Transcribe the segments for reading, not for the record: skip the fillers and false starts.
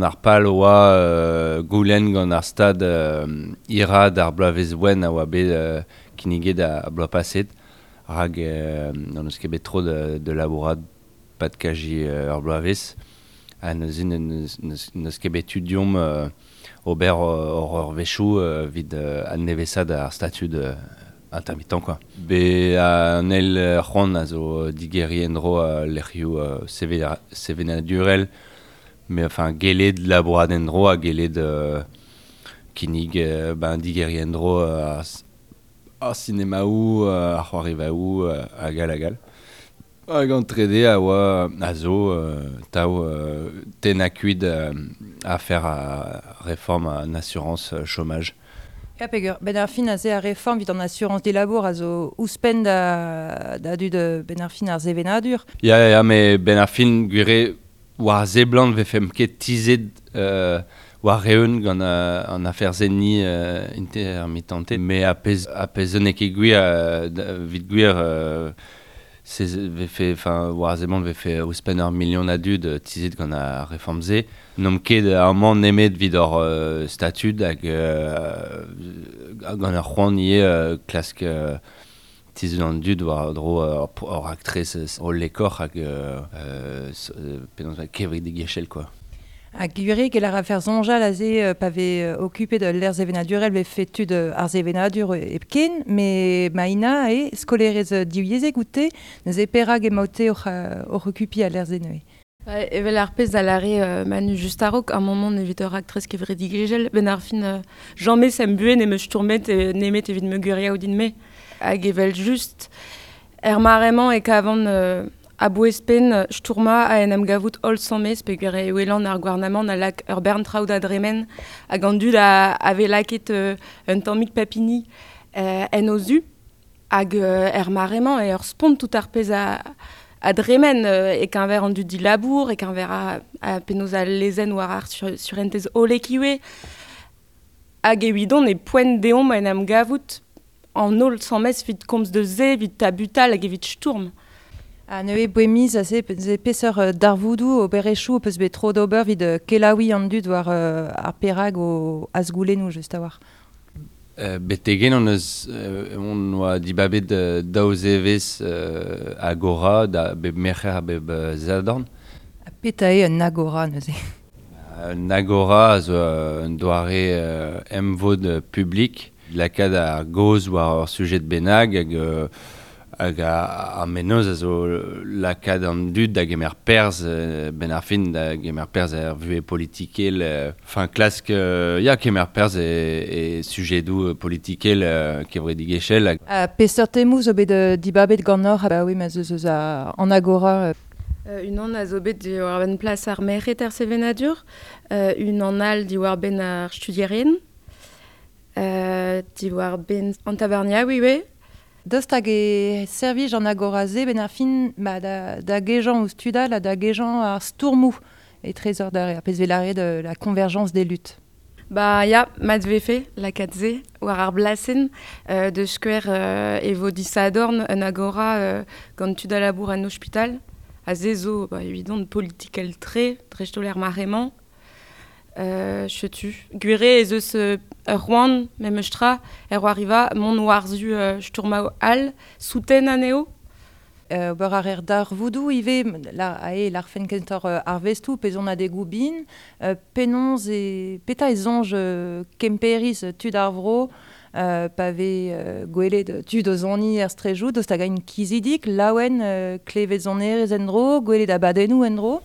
Ar pal oa goulenn gant ar stad hiraat ar bloavezh wenn a oa bet kinniget ar bloaz paset rak n'hon eus ket bet tro da labourat pad kaji ur bloavezh ha neuze n'eus ket bet tu deomp ober hor eurvezhioù evit adnevesaat ar statud intermittent quoi. Be an eil c'hoant a zo digeriñ en-dro lec'hioù sevenadurel mais enfin gellet labourat en-dro ha gellet kinnig ben digeriñ en-dro ar sinemaoù, ar c'hoarivaoù hag all hag all. Hag an trede a oa a zo tav tennañ kuit afer ar reform an asurañs chômaj. Ya peger, 'benn ar fin aze ar reform evit an asurañs dilabour a zo ouzhpenn da dud 'benn ar fin ar sevenadur. Ya, ya, met 'benn ar fin gwir eo war a seblant 'vefemp ket tizhet war-eeun gant an afer-se-ni intermittented. Met ar pezh ar pezh zo n'eo ket gwir evit gwir se 'vefe enfin war a seblant 'vefe ouzhpenn ur milion a dud tizhet gant ar reform-se. N'omp ket amañ nemet evit hor statud hag gant ar c'hoant ivez klask tizhout an dud war-dro ur raktres hollekoc'h hag penaos kevredigezhel quoi. Ha gwir eo gellet a rafer soñjal aze pa vez okupet ul lec'h sevenadurel 'vefe tud ar sevenadur hepken, met Maïna eo skolaerez divyezhek oute, neuze perak emaote oc'h okupiñ al lec'h-se neuze? Evel ar pezh a lâre Manu just a-raok, ar moment evit ur raktres kevredigezhel, 'benn ar fin james em buhez n'em eus stourmet nemet evit ma gwiriañ din-me. Hag evel-just, er mare-mañ e kavan a-bouez-penn stourmañ a en em gavout holl sammes peogwir e welan ar gouarnamant a lak ur bern traoù da dremen hag an dud a vez lakaet un tammig papini en o zu. Hag er mare-mañ eo ur spont tout ar pezh a dremen e-keñver an dud dilabour, e-keñver a penaos al lezenn war ar surentez hollek ivez. Hag evidon e poent deomp en em gavout an holl sammes evit komz deus se, evit tabutal hag evit stourm. Ha neuze boemiz aze peseurt darvoudoù, oberezhioù ho peus bet tro d'ober evit kelaouiñ an dud war ar perag o azgoulennoù just a-walc'h? Betek-henn hon eus hon oa dibabet daou zevezh agora da bep merc'her ha bep sadorn. Ha petra eo un agora neuze? Un agora a zo un doare emvod publik lakaat ar gaoz war ur sujed bennak hag hag ar mennozh a zo lakaat an dud da gemer perzh 'benn ar fin da gemer perzh er vuhez politikel enfin klask ya kemer perzh e sujedoù politikel kevredigezhel. Ha peseurt temoù zo bet dibabet ganeoc'h abaoe ma 'z eus eus an agora? Unan a zo bet diwar-benn plas ar merc'hed er sevenadur, unan all diwar-benn ar studierien, diwar-benn an tavarniaou ivez. Daoust hag e servij an agora-se 'benn ar fin ba da gejañ ouzh tud all ha da gejañ ar stourmoù etrezoc'h da ar pezh 'vez lâret la convergence des luttes? Ba ya, mat 'vefe lakaat se war ar blasenn. Da skouer e vo disadorn un agora gant tud a labour en ospital. Ha se zo ba, evidon politikel-tre, dreist-holl er mare-mañ. Setu. Gwir eo ez eus ur c'hoant memes tra er c'hoariva mont war-zu stourmaoù all, souten anezho. Ober a reer darvoudoù ivez, ae lârfen kentoc'h arvestoù pe sonadegoù bihan. Penaos e petra e soñj Kemperiz tud ar vro pa vez gwelet tud o soniñ er straejoù, daoust hag int kizidik, laouen, klevet sonerezh en-dro, gwelet abadennoù en-dro?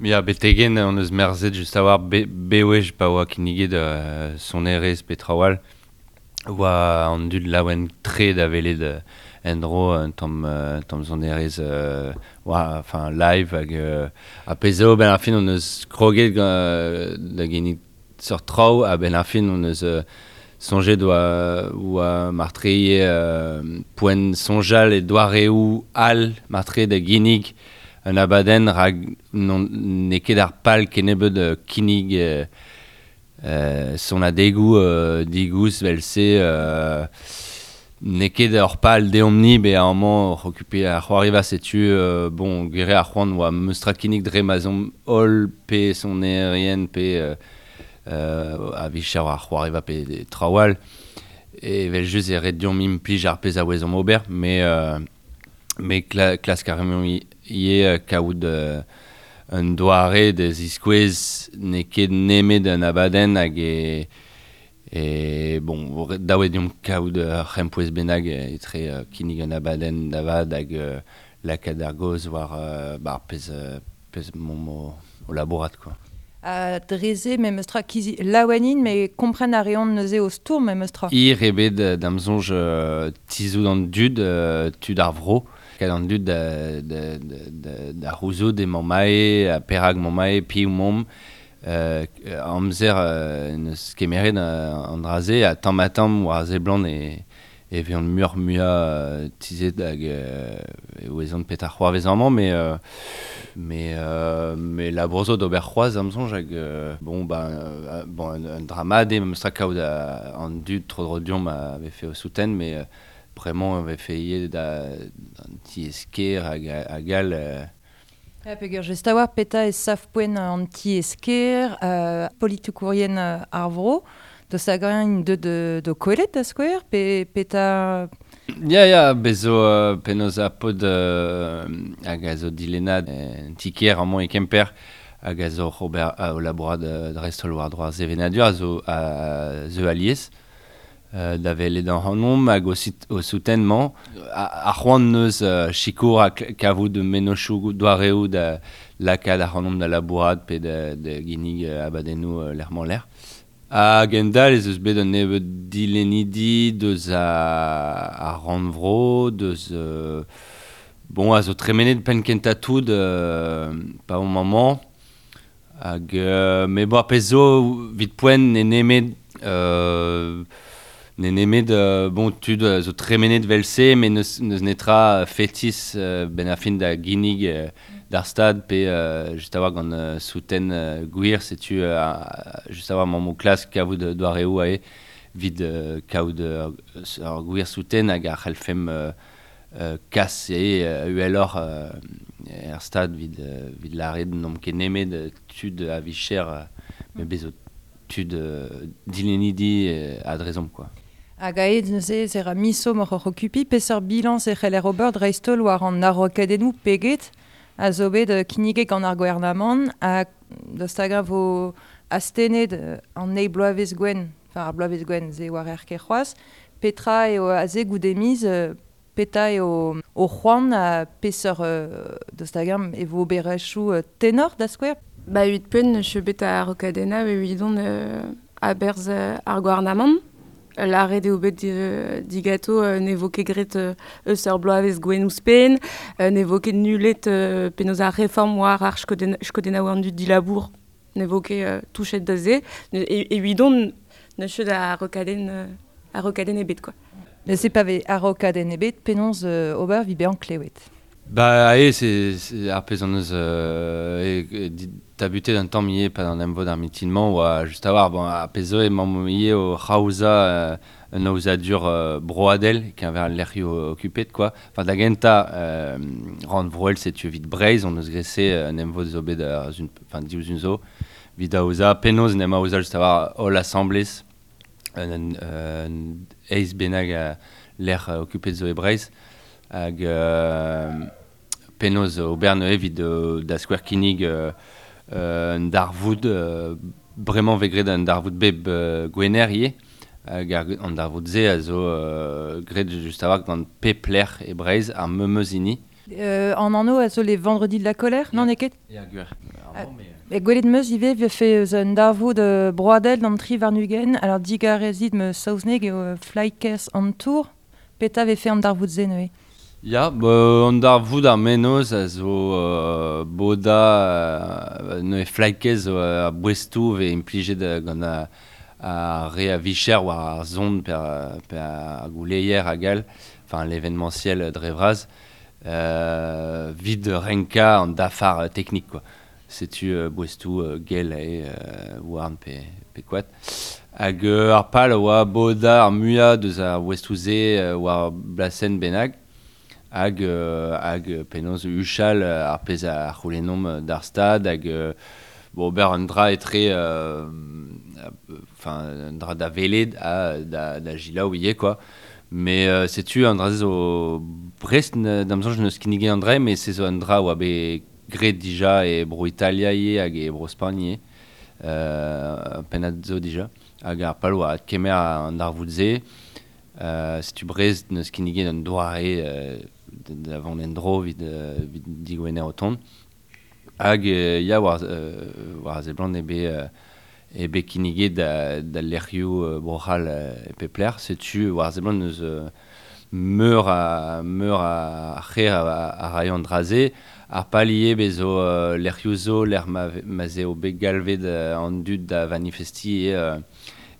Ya, betek-henn hon eus merzet just a-walc'h bewech pa oa kinniget sonerezh pe traoù all oa an dud laouen-tre da welet en-dro un tamm tamm sonerezh oa enfin live hag ar pezh zo 'benn ar fin hon eus kroget da ginnig seurt traoù a-benn ar fin hon eus soñjet oa marteze poent soñjal e doareoù all marteze da ginnig un abadenn rak n'eo ket ar pal kennebeut kinnig sonadegoù digoust 'vel-se. N'eo ket ur pal deomp-ni bezañ amañ oc'h okupiñ ar c'hoariva setu bon gwir eo ar c'hoant oa meus tra kinnig dre ma'z omp holl pe sonerien pe a-vicher war ar c'hoariva pe traoù all. Evel-just e ret deomp implij ar pezh a ouezomp ober, met klask a reomp ivez kaout un doare da ziskouez n'eo ket nemet un abadenn hag e bon, dav eo deomp kaout ur c'hempouez bennak etre kinnig un abadenn da vat hag lakaat ar gaoz war ar pezh m'omp o labourat quoi. Ha dre-se memes tra kizi laouenin, met kompren a reont neuze o stourm memes tra. Hir eo bet da'm soñj tizhout an dud, tud ar vro, kad an dud da c'houzout emañ mae, ha perak emañ mae, piv 'momp. Amzer neus kemeret an dra-se, ha tamm-ha-tamm war a seblant e vezont muioc'h-muiañ tizhet hag e ouezont petra c'hoarvez amañ, met labour zo d'ober c'hoazh da'm soñj hag bon, bon, un dra mat eo memes tra kaout an dud tro-dro deomp a vefe o souten, met bremañ e vefe ivez d'an tiez-kêr hag all. Ja, peogwir just a-walc'h petra e sav-poent an tiez-kêr, politikourien ar vro, deus hag-eñ int deut d'ho kwelet da skouer, pe petra... Ya, ya, bez zo penaos ar paotr hag a zo dilennad en ti-kêr amañ e Kemper hag a zo oc'h ober o labourat dreist-holl war-dro ar sevenadur a zo a zeu alies da welet ac'hanomp hag o souten-mañ. Ar c'hoant neus sikour ha kavout mennozhioù doareoù da lakaat ac'hanomp da labourat pe da ginnig abadennoù lec'h-mañ-lec'h. Hag endal ez eus bet un nebeud dilennidi deus ar rannvro, deus bon, a zo tremenet penn kentañ tout pa omp amañ. Hag met bon, ar pezh zo evit poent n'eo nemet n'eo nemet bon, tud zo tremenet 'vel-se, met n'eus netra fetis benn ar fin da ginnig d'ar stad pe just a-walc'h gant souten gwir, setu just a-walc'h emaomp o klask kavout doareoù aze evit kaout ur gwir souten hag a c'hellfemp kas eo uheloc'h er stad evit lâret n'omp ket nemet tud a-vicher, met bez zo tud dilennidi a-drezomp quoi. Hag aet neuze ez era miso moc'h oc'h okupiñ, peseurt bilañs e c'heller ober dreist-holl war an a-raokadennoù peget a zo bet kinniget gant ar gouarnamant ha daoust hag-eñ vo astennet an eil bloavezh gwenn, enfin ar bloavezh gwenn, se war ket c'hoazh, petra eo aze goude miz, petra eo o c'hoant ha peseurt daoust hag-eñ e vo oberezhioù tenor da skouer? Ba evit poent neus bet a-raokadennañ evidon a-berzh ar gouarnamant. Lâret eo bet digato ne vo ket graet eus ur bloavezh gwenn ouzhpenn, ne vo ket nullet penaos ar reform war ar skodennaoù an dud dilabour, ne vo ket touchet da se. Evidon neus ket a-raokadenn ebet quoi. Neuze pa vez a-raokadenn ebet, penaos ober evit bezañ klewet? Ba ae, c'est ar pezh an eus tabutet un tamm ivez pa an emvod ar mitin-mañ oa just a-walc'h bon, ar pezh zo emaomp ivez o c'haozañ un aozadur broadel keñver al lec'hioù okupet quoi. Enfin da gentañ rannvroel setu evit Breizh on eus graet se un emvod zo bet enfin diouzh un zo evit aozañ penaos en em aozañ just a-walc'h holl asamblez un eizh bennak a lec'h okupet zo e Breizh hag penaos ober neuze evit da skouer kinnig un darvoud bremañ vez graet un darvoud bep gwener ivez hag an darvoud-se a zo graet just a-walc'h gant pep lec'h e Breizh ar memes hini. An anv a zo les vendredis de la colère, non n'eo ket? Ya, gwir. E gwelet 'm eus ivez vefe eus un darvoud broadel d'an tri warn-ugent, alors digarezit ma saozneg eo Flykers on Tour, petra vefe an darvoud-se neuze? Ya, an darvoud ar mennozh a zo bodañ neuze Flykez zo ar boestoù vez implijet gant ar re a-vicher war ar son pe ar gouleier hag all, enfin l'événementiel dre vras, evit renkañ an dafar teknik quoi. Setu boestoù gell eo houarn pe koad. Hag ar pal oa boda ar muia deus ar westouze war blasen bennak hag hag penaos uchal ar pezh a c'houlennomp d'ar stad hag bon, ober un dra etre enfin un dra da veled ha da gilaou ivez quoi. Mais setu an dra zo Brest d'am soñj n'eus kinniget an dra, mais se zo un dra oa bet graet dija e bro Italia ivez hag e bro Spagn ivez. Pennad zo dija. Hag ar pal oa kemer an darvoud-se. Setu Brest n'eus kinniget an doare da vont en dro evit digwener o tont. Hag ya war ze blant eo bet kinniget da lec'hioù bro-C'hall e pep lec'h. Setu war ze blant n'eus meur a c'her a raio an dra-se. Ar pal ivez bez zo lec'hioù zo, lec'h ma 'z eo bet galvet an dud da manifesti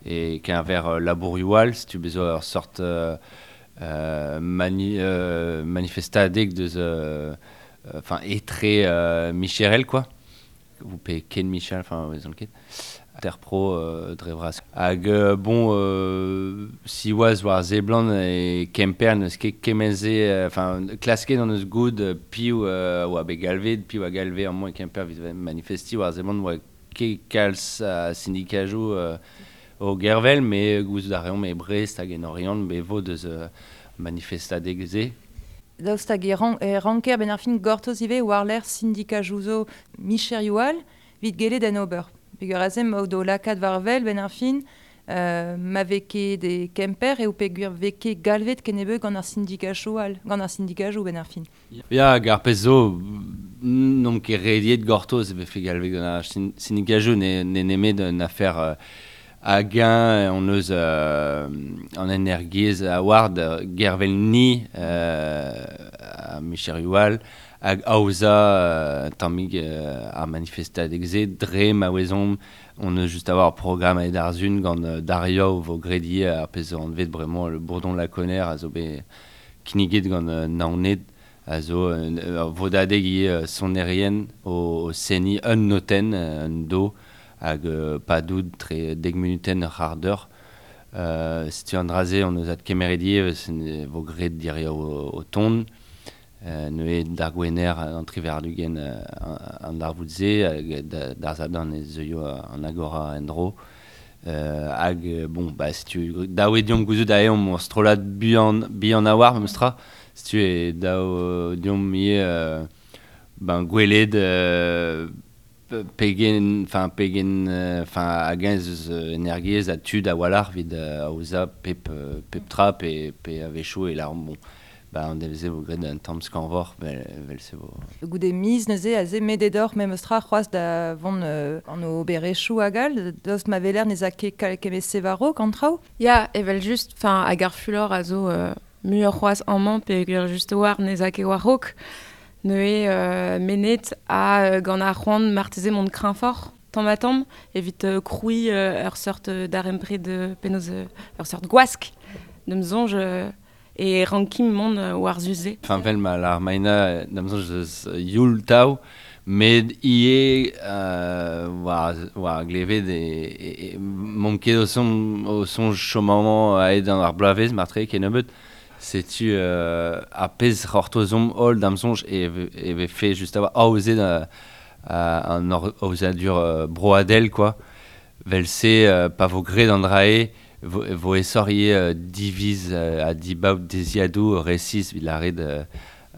e keñver labourioù all, setu bez zo ur sort manifestadeg deus enfin etre micherel quoi. Ou pe ken Michel, enfin vezan ket. Ter pro dre vras. Hag bon si oaz war ze blant e Kemper n'eus ket kement-se enfin klasket an eus goud piv oa bet galvet, piv a galve amañ e Kemper evit manifesti war ze blant oa ket kalz a syndikajoù o gervel, mais gouzout a reomp e Brest hag en Oriant be vo deus manifestadeg se. Daoust hag e ranker ben ar fin gortoz ivez war lec'h syndikajoù zo micherioù all evit gellet en ober. Peogwir aze ma o do lakaat war wel ben ar fin ma vez ket e Kemper eo peogwir vez ket galvet kennebeut gant ar syndikajoù all, gant ar syndikajoù ben ar fin. Ya, hag ar pezh zo n'omp ket rediet gortoz e vefe galvet gant ar syndikajoù ne nemet un afer hag-eñ on eus an energiezh a-ward gervel ni a micherioù all hag aozañ tammig ar manifestadeg-se dre ma ouezomp on eus just a-walc'h ur programm aet ar sun gant Dario vo graet ivez ar pezh zo anvet bremañ le Bourdon Laconner a zo bet kinniget gant Naoned a zo ur vodadeg ivez sonerien o seniñ un notenn un do hag padout tre dek munutenn ur c'hard eur. Setu an dra-se on eus adkemeret ivez vo graet diriaou o tont. Neuze d'ar gwener an triwec'h-ugent an darvoud-se hag d'ar sadorn e zeuio an agora en-dro. Hag bon, bah, setu dav eo deomp gouzout aze omp ur strollad bihan a-walc'h memes tra. Setu eo dav deomp ivez ben gwelet pegen, enfin pegen, enfin hag-eñ ez eus energiezh ha tud a-walc'h evit aozañ pep tra pe a-wechoù e lâromp bon, ba an devez-se vo graet un tamm skañvoc'h vel-se vo. Goude miz neuze aze medet oc'h memes tra c'hoazh da vont an oberezhioù hag all, daoust ma weler ne 'z a ket kement-se war-raok an traoù? Ya, evel-just, enfin hag ar fulor a zo muioc'h c'hoazh amañ peogwir just war ne 'z a ket war-raok. Neuze menet ha gant ar c'hoant marteze mont kreñvoc'h tamm ha tamm evit krouiñ ur seurt darempred penaos ur seurt gwask d'am soñj e rankin mont war zu-se. Enfin, vel ma lâr Maina d'am soñj eus youl tav, met ivez war glevet e m'omp ket o soñj chom amañ aet gant ar bloavezh marteze kennebeut. Setu ar pezh c'hortozomp holl d'am soñj e vefe just a-walc'h aozet an aozadur broadel quoi. Vel-se pa vo graet an dra-se vo aesoc'h ivez diviz ha dibaot deziadoù resis evit lâret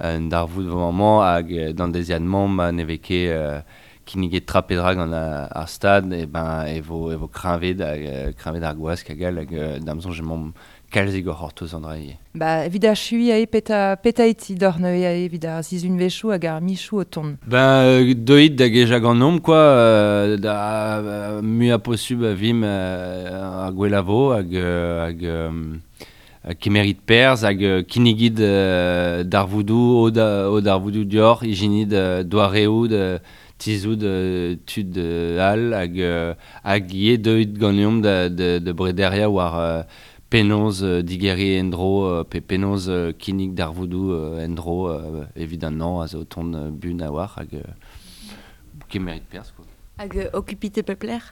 un darvoud vo amañ hag d'an deziad-mañ ma ne vez ket kinniget tra pe dra gant ar stad e ben e vo kreñvet hag kreñvet ar gwask hag all hag d'am soñj emaomp kalzik oc'h c'hortoz an dra ivez. Ba, evit achuiñ aze peta eti doc'h neuze aze evit ar sizhunvezhioù hag ar michoù o tont? Ben deuit da gejañ ganeomp quoi, da muiañ posubl a vimp ar gwella vo hag kemerit perzh hag kinnigit darvoudoù, o darvoudoù dioc'h, ijinit doareoù tizhout tud all hag ivez deuit ganeomp da brederiañ war penaos digeriñ en-dro pe penaos kinnig darvoudoù en-dro evit an hañv a zo tont bun a-walc'h hag kemerit perzh quoi. Hag okupit e pep lec'h.